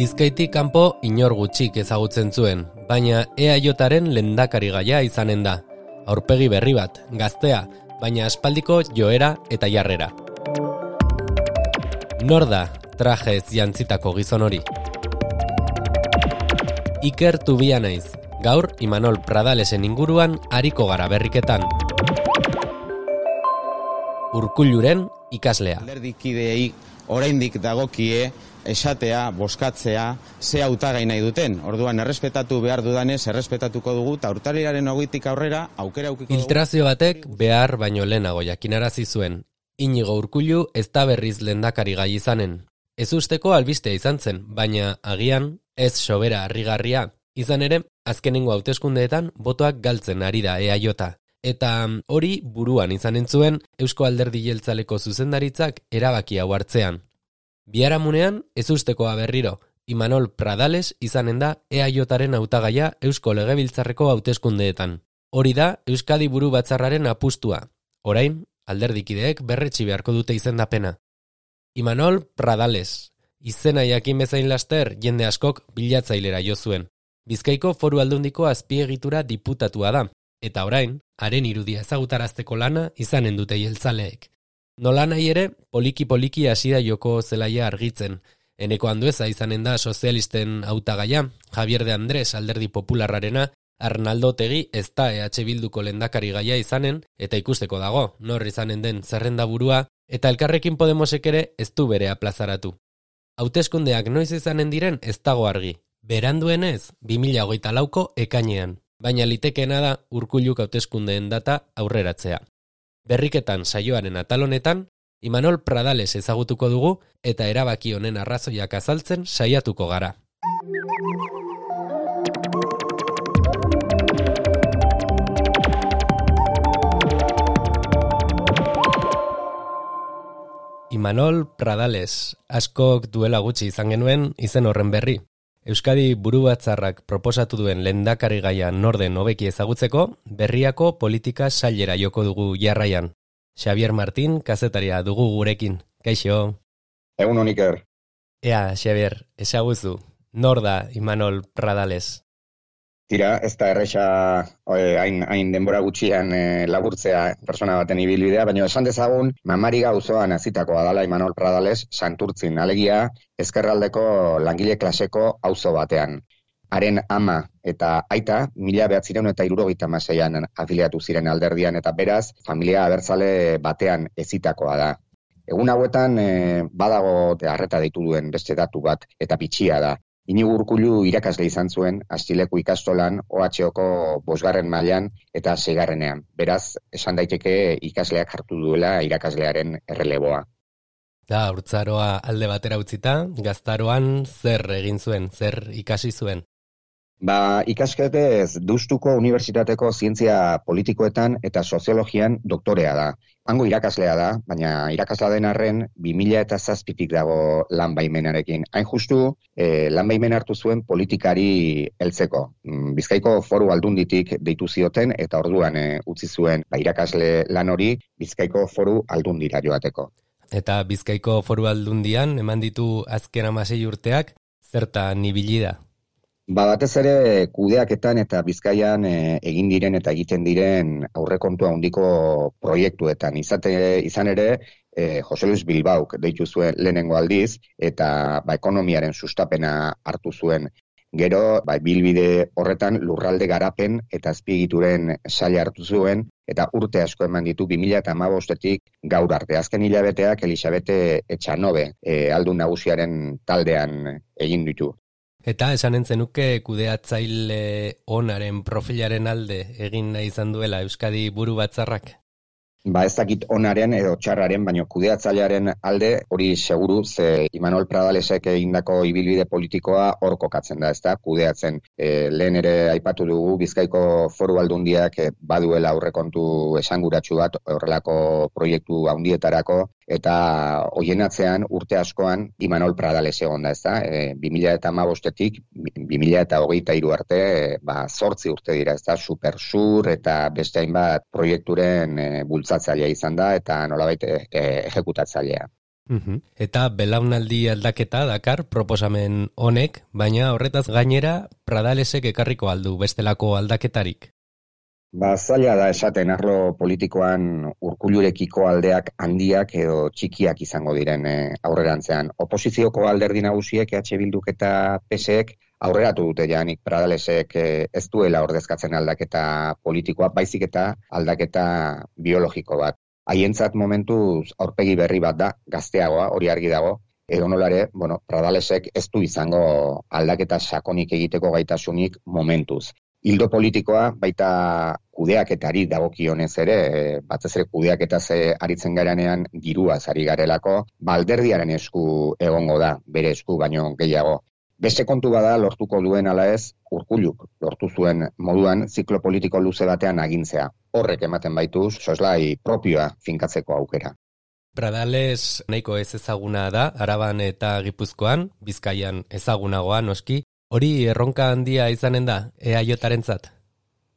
Bizkaitik kanpo inor gutxik ezagutzen zuen, baina EAJaren lehendakarigaia izanen da. Aurpegi berri bat, gaztea, baina aspaldiko joera eta jarrera. Nor da trajez jantzitako gizon hori? Iker Tubia naiz, gaur Imanol Pradalesen inguruan ariko gara berriketan. Urkulluren ikaslea. Alderdikideei oraindik dagokie esatea, boskatzea, ze hautagai nahi duten. Orduan, errespetatu behar dudanez, errespetatuko dugu, eta urtarrilaren 20tik aurrera, aukera aukiko dugu. Filtrazio batek behar baino lehenago jakinarazi zuen. Inigo Urkullu ez da berriz lehendakari gai izanen. Ez usteko albistea izan zen, baina agian ez sobera harrigarria. Izan ere, azkenengo hauteskundeetan botoak galtzen ari da EAJ. Eta hori buruan izanen zuen Eusko Alderdi Jeltzaleko zuzendaritzak erabaki hau hartzean. Biharamunean, ez ustekoa berriro, Imanol Pradales izanen da EAJaren hautagaia Eusko Legebiltzarreko hauteskundeetan. Hori da Euskadi Buru Batzarraren apustua. Orain, alderdikideek berretsi beharko dute izendapena. Imanol Pradales. Izena jakin bezain laster jende askok bilatzailera jo zuen. Bizkaiko Foru Aldundiko azpiegitura diputatua da, eta orain, haren irudia ezagutarazteko lana izanen dute jeltzaleek. Nola nahi ere, poliki-poliki hasi da joko zelaia argitzen. Eneko Andueza izanen da sozialisten hautagaia, Javier de Andrés alderdi popularrarena, Arnaldo Otegi ez da EH Bilduko lehendakari gaia izanen, eta ikusteko dago, nor izanen den zerrenda burua, eta Elkarrekin Podemosek ere ez du berea plazaratu. Hauteskundeak noiz izanen diren ez dago argi. Beranduenez, 2024ko ekainean. Baina litekeena da Urkulluk hauteskundeen data aurreratzea. Berriketan saioaren atal honetan, Imanol Pradales ezagutuko dugu eta erabaki honen arrazoiak azaltzen saiatuko gara. Imanol Pradales, askok duela gutxi izan genuen izen horren berri. Euskadi Buru Batzarrak proposatu duen lehendakari gaia norden hobeki ezagutzeko, berriako politika sailera joko dugu jarraian. Xavier Martín, kazetaria dugu gurekin. Kaixo. Egun hon, Iker. Ea, Xavier, ezaguzu, nor da Imanol Pradales? Tira, ez da erresa hain denbora gutxian laburtzea persona baten ibilbidea, baina esan dezagun, Mamariga auzoan hazitakoa dela Imanol Pradales Santurtzin, alegia ezkerraldeko langile klaseko auzo batean. Haren ama eta aita 1976an afiliatu ziren alderdian eta beraz, familia abertzale batean hezitakoa da. Egun hauetan badago arreta deitu duen beste datu bat eta bitxia da. Inigo Urkullu irakasle izan zuen Astileko ikastolan OHko 5. mailan eta 6. Beraz, esan daiteke ikasleak hartu duela irakaslearen erreleboa. Da, haurtzaroa alde batera utzita, gaztaroan zer egin zuen, zer ikasi zuen? Ikasketez Deustuko Unibertsitateko zientzia politikoetan eta soziologian doktorea da. Hango irakaslea da, baina irakaslea den arren 2007tik dago lan baimenarekin. Hain justu, lan baimen hartu zuen politikari heltzeko. Bizkaiko Foru Aldunditik deitu zioten eta orduan utzi zuen irakasle lan hori Bizkaiko Foru Aldundira joateko. Eta Bizkaiko Foru Aldundian eman ditu azken 16 urteak, zertan ibili da? Batez ere kudeaketan eta Bizkaian egin diren eta egiten diren aurrekontu handiko proiektuetan. Izan ere, Jose Luis Bilbauk deitu zuen lehenengo aldiz eta ekonomiaren sustapena hartu zuen. Gero, bilbide horretan lurralde garapen eta azpiegituren saila hartu zuen eta urte asko eman ditu 2015tik gaur arte. Azken hilabeteak Elisabete Etxanobe aldun nagusiaren taldean egin ditu. Eta esanen zenuke kudeatzaile onaren profilaren alde egin nahi izan duela Euskadi Buru Batzarrak? Ez dakit onaren edo txarraren, baina kudeatzailearen alde hori seguru, ze Imanol Pradalesek egindako ibilbide politikoa hor kokatzen da, ezta? Kudeatzen. Lehen ere aipatu dugu Bizkaiko Foru Aldundiak baduela aurrekontu esanguratsu bat horrelako proiektu handietarako eta hoien atzean urte askoan Imanol Pradales egon da, ezta? 2015tik 2023 arte 8 urte dira, ezta? Supersur eta beste hainbat proiekturen bultzatzailea izan da eta nolabait ejekutatzailea. Eta belaunaldi aldaketa dakar proposamen honek, baina horretaz gainera Pradalesek ekarriko aldu bestelako aldaketarik. Zaila da esaten arlo politikoan Urkullurekiko aldeak handiak edo txikiak izango diren aurrerantzean. Oposizioko alderdi nagusiek EH Bilduk eta PSek aurreratu dute janik Pradalesek ez duela ordezkatzen aldaketa politikoa, baizik eta aldaketa biologiko bat. Haientzat momentuz aurpegi berri bat da, gazteagoa, hori argi dago, edo nolare, Pradalesek ez du izango aldaketa sakonik egiteko gaitasunik momentuz. Hildo politikoa baita kudeaketari dagokionez ere, batez ere kudeaketaz aritzen garenean diruaz ari garelako, alderdiaren esku egongo da, bere esku baino gehiago. Beste kontu bada lortuko duen ala ez, Urkulluk lortu zuen moduan ziklo politiko luze batean agintzea. Horrek ematen baitu soslai propioa finkatzeko aukera. Pradales nahiko ez ezaguna da, Araban eta Gipuzkoan, Bizkaian ezagunagoa noski, hori erronka handia izanen da, EAJarentzat?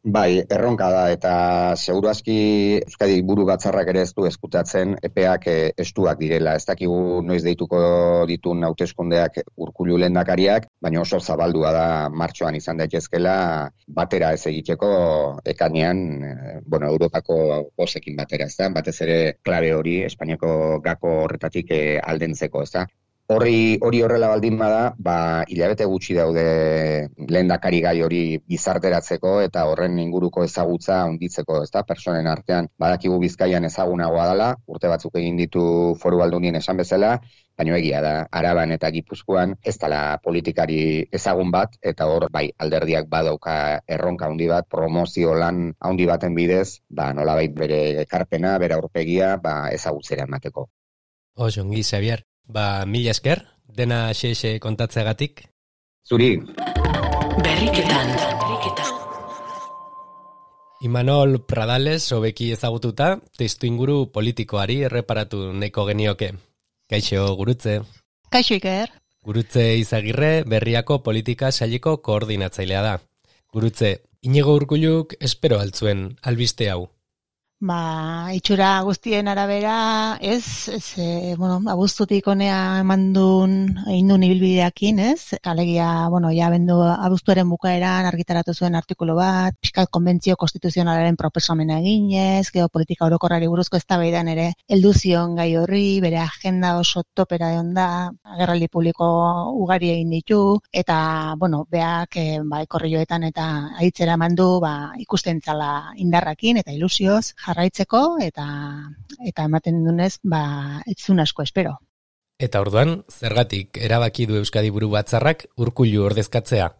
Bai, erronka da, eta seguru aski Euskadi buru batzarrak ere ez du eskutatzen epeak estuak direla. Ez dakigu noiz deituko ditun hauteskundeak Urkullu lehendakariak, baina oso zabaldua da martxoan izan daitezkela batera ez egiteko ekainean, Europako bosekin batera, ez da? Batez ere klabe hori, Espainiako gako horretatik aldentzeko, ez da? Hori horrela baldin bada, hilabete gutxi daude lehendakari gai hori gizarteratzeko eta horren inguruko ezagutza handitzeko, ezta? Pertsonen artean badakigu Bizkaian ezagunagoa dela, urte batzuk egin ditu Foru Aldundien esan bezala, baina egia da, Araban eta Gipuzkoan ez dela politikari ezagun bat, eta hor alderdiak badauka erronka handi bat, promozio lan handi baten bidez, nolabait bere ekarpena, bere aurpegia, ezagutzera emateko. Ongi, Xavier. Mila esker, dena xe kontatzeagatik. Zuri. Berriketan. Imanol Pradales hobeki ezagututa, testu inguru politikoari erreparatu nahiko genioke. Kaixo, Gurutze. Kaixo, Iker. Gurutze Izagirre Berriako politika saileko koordinatzailea da. Gurutze, Iñigo Urkulluk espero altzuen albiste hau. Itxura guztien arabera, abuztutik honea egin duen ibilbideakin, ez? Alegia, abuztuaren bukaeran argitaratu zuen artikulu bat, pixkat konbentzio konstituzionalaren proposamena eginez, geopolitika orokorrari buruzko eztabaidan ere heldu zion gai horri, bere agenda oso topera egon da, agerraldi publiko ugari egin ditu, eta, beak, korrioetan eta aitzera mandu, ikusten zala indarrakin eta ilusioz, jarraitzeko eta ematen dunez, ez zuen asko espero. Eta orduan, zergatik erabaki du Euskadi buru batzarrak Urkullu ordezkatzea?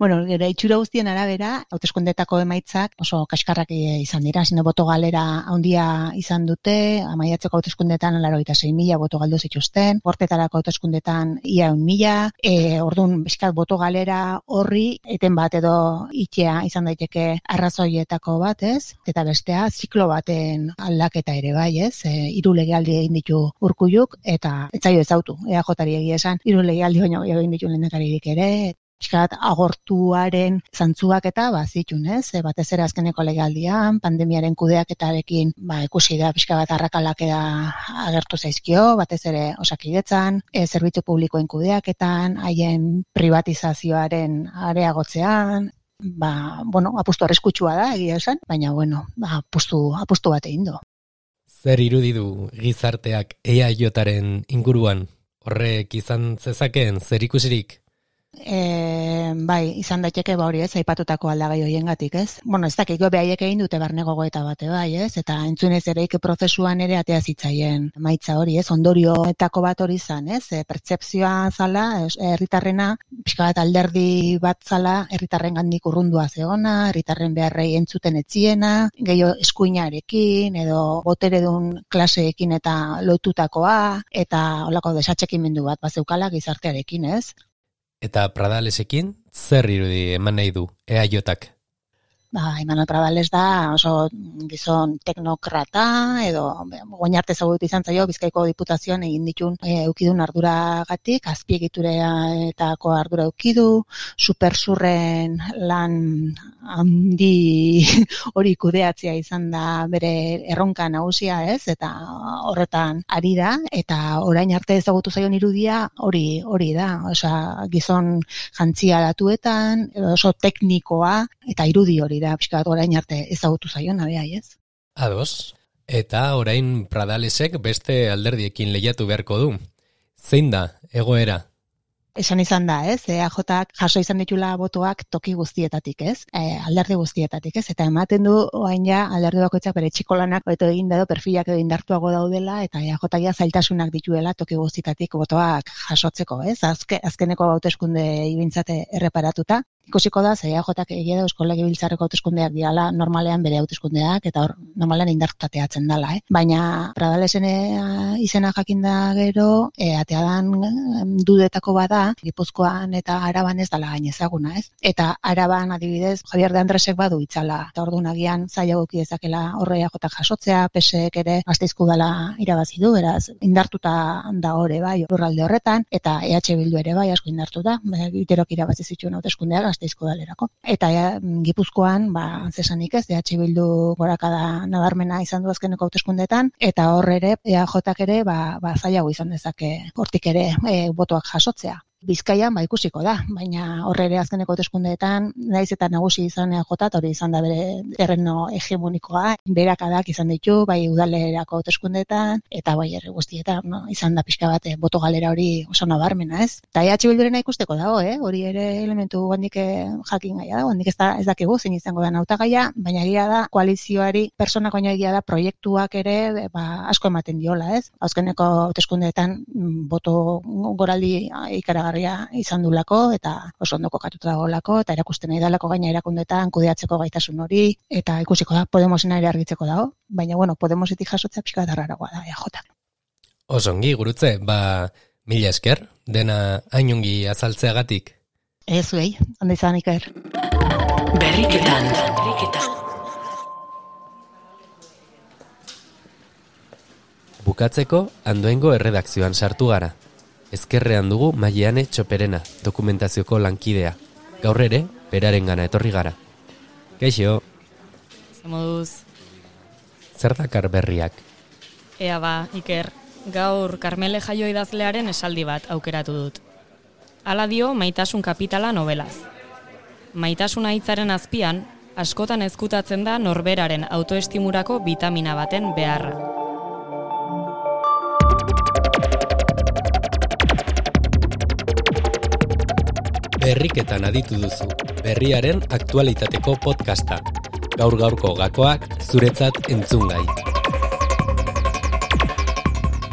Gero itxura guztien arabera, hauteskundetako emaitzak oso kaskarrak izan dira, boto galera handia izan dute, maiatzeko hauteskundetan 86.000 boto galdu zituzten, gortetarako hauteskundetan ia 1.000, orduan bizkat boto galera horri eten bat edo itxea izan daiteke arrazoietako bat, ez? Eta bestea ziklo baten aldaketa ere bai, ez? 3 legealdi egin ditu Urkulluk eta ez zaio ezautu, EAJari egia esan, 3 legealdi baino egin ditu lehendakaririk ere. Piskat agortuaren zantzuak eta zitun, ez? Batez ere azkeneko legealdian, pandemiaren kudeaketarekin ikusi da pixka bat arrakalak agertu zaizkio, batez ere Osakidetzan, zerbitzu publikoen kudeaketan, haien privatizazioaren areagotzean, apustu arriskutsua da, egia esan, baina apustu bat egin du. Zer irudi du gizarteak EAJaren inguruan? Horrek izan zezakeen zer ikusirik? Izan daiteke hori, ez, aipatutako aldagai horiengatik, ez? Ez dakik behaiek egin dute barne gogoeta bate bai, ez? Eta entzunez ereik prozesuan ere atea zitzaien maitza hori, ez? Ondorioetako bat hori izan, ez? Pertzepzioa zala, herritarrena, pixka bat alderdi bat zala, herritarren gandik urrundua zegoena, herritarren beharrei entzuten etziena, gehiago eskuinarekin, edo boteredun klaseekin eta lotutakoa, eta holako desatxekimendu bat bazeukala gizartearekin, ez? Eta Pradalesekin zer irudi eman nahi du EAJak? Imanol Pradales da oso gizon teknokrata, edo goin arte ezagutu izan zaio Bizkaiko Diputazioan egin ditun eukidun arduragatik, azpiegituretako ardura eukidu, supersurren lan handi hori kudeatzea izan da bere erronka nagusia, ez? Eta horretan ari da, eta orain arte ezagutu zaion irudia hori da. Osea, gizon jantzia datuetan, oso teknikoa, eta irudi hori da, pixka orain arte ezagutu zaion, abeai, ez? Ados. Eta orain Pradalesek beste alderdiekin lehiatu beharko du. Zein da, egoera? Esan izan da, ez? EAJak jaso izan ditula botoak toki guztietatik, ez? Alderdi guztietatik, ez? Eta ematen du orain ja alderdi bakoitzak bere txikolanak hobeto egin edo perfilak edo indartuago daudela, eta EAJak zailtasunak dituela toki guztietatik botoak jasotzeko, ez? Azkeneko hauteskunde ibintzate erreparatuta. Ikusiko da, EAJak egia da Eusko Legebiltzarreko hauteskundeak diala normalean bere hauteskundeak, eta hor normalean indartutateatzen dela, Baina Pradalesen izena jakinda gero, ateadan dudetako bada, Gipuzkoan eta Araban ez dala gain ezaguna, ez? Eta Araban adibidez, Javier de Andresek badu itzala, eta orduan agian zaila guki dezakela horre EAJak jasotzea, PSek ere Gasteizko udala irabazi du, beraz, indartuta da hori bai, lurralde horretan, eta EH Bildu ere bai asko indartuta, Iterok irabazi zituen hauteskundeak Gasteizko udalerako. Eta Gipuzkoan, zesanik ez, EH Bildu gorakada nabarmena izan du azkeneko hauteskundeetan, eta hor ere, EAJak ere, zailago izan dezake hortik ere botoak jasotzea. Bizkaian ikusiko da, baina horre ere azkeneko hauteskundeetan naiz eta nagusi izan EAJ, hori izan da bere terreno hegemonikoa, berakadak izan ditu, bai udalerako hauteskundeetan eta bai herri guztietan, izan da pixka bat boto galera hori oso nabarmena, ez? Eta EH Bildurena ikusteko dago, hori ere elementu handik jakin gaia da, handik ez dakigu zein izango da hautagaia, baina egia da koalizioari personak baino egia da proiektuak ere asko ematen diola, ez? Azkeneko hauteskundeetan boto goraldi ikaragarria izan dulako, eta oso ondo kokatuta dagoelako, eta erakusten nahi dalako gaina erakundetan kudeatzeko gaitasun hori, eta ikusiko da, Podemosena ere argitzeko dago, baina Podemosetik jasotzea pixka darraragoa da, EAJ. Osongi, gurutze, mila esker, dena hainongi azaltzeagatik. Ez zuei, ondo izan Iker. Berriketan. Bukatzeko, Andoaingo erredakzioan sartu gara. Ezkerrean dugu Maiane Txoperena, dokumentazioko lankidea. Gaur ere, berarengana etorri gara. Kaixo. Zemoduz. Zer dakar berriak? Ea Iker, gaur Karmele Jaio idazlearen esaldi bat aukeratu dut. Hala dio Maitasun kapitala nobelaz. Maitasuna hitzaren azpian, askotan ezkutatzen da norberaren autoestimurako bitamina baten beharra. Berriketan aditu duzu, berriaren aktualitateko podcasta. Gaur-gaurko gakoak zuretzat entzungai.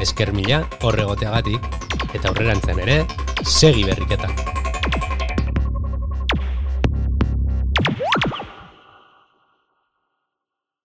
Esker mila horregoteagatik, eta aurrerantzen ere, segi berriketan.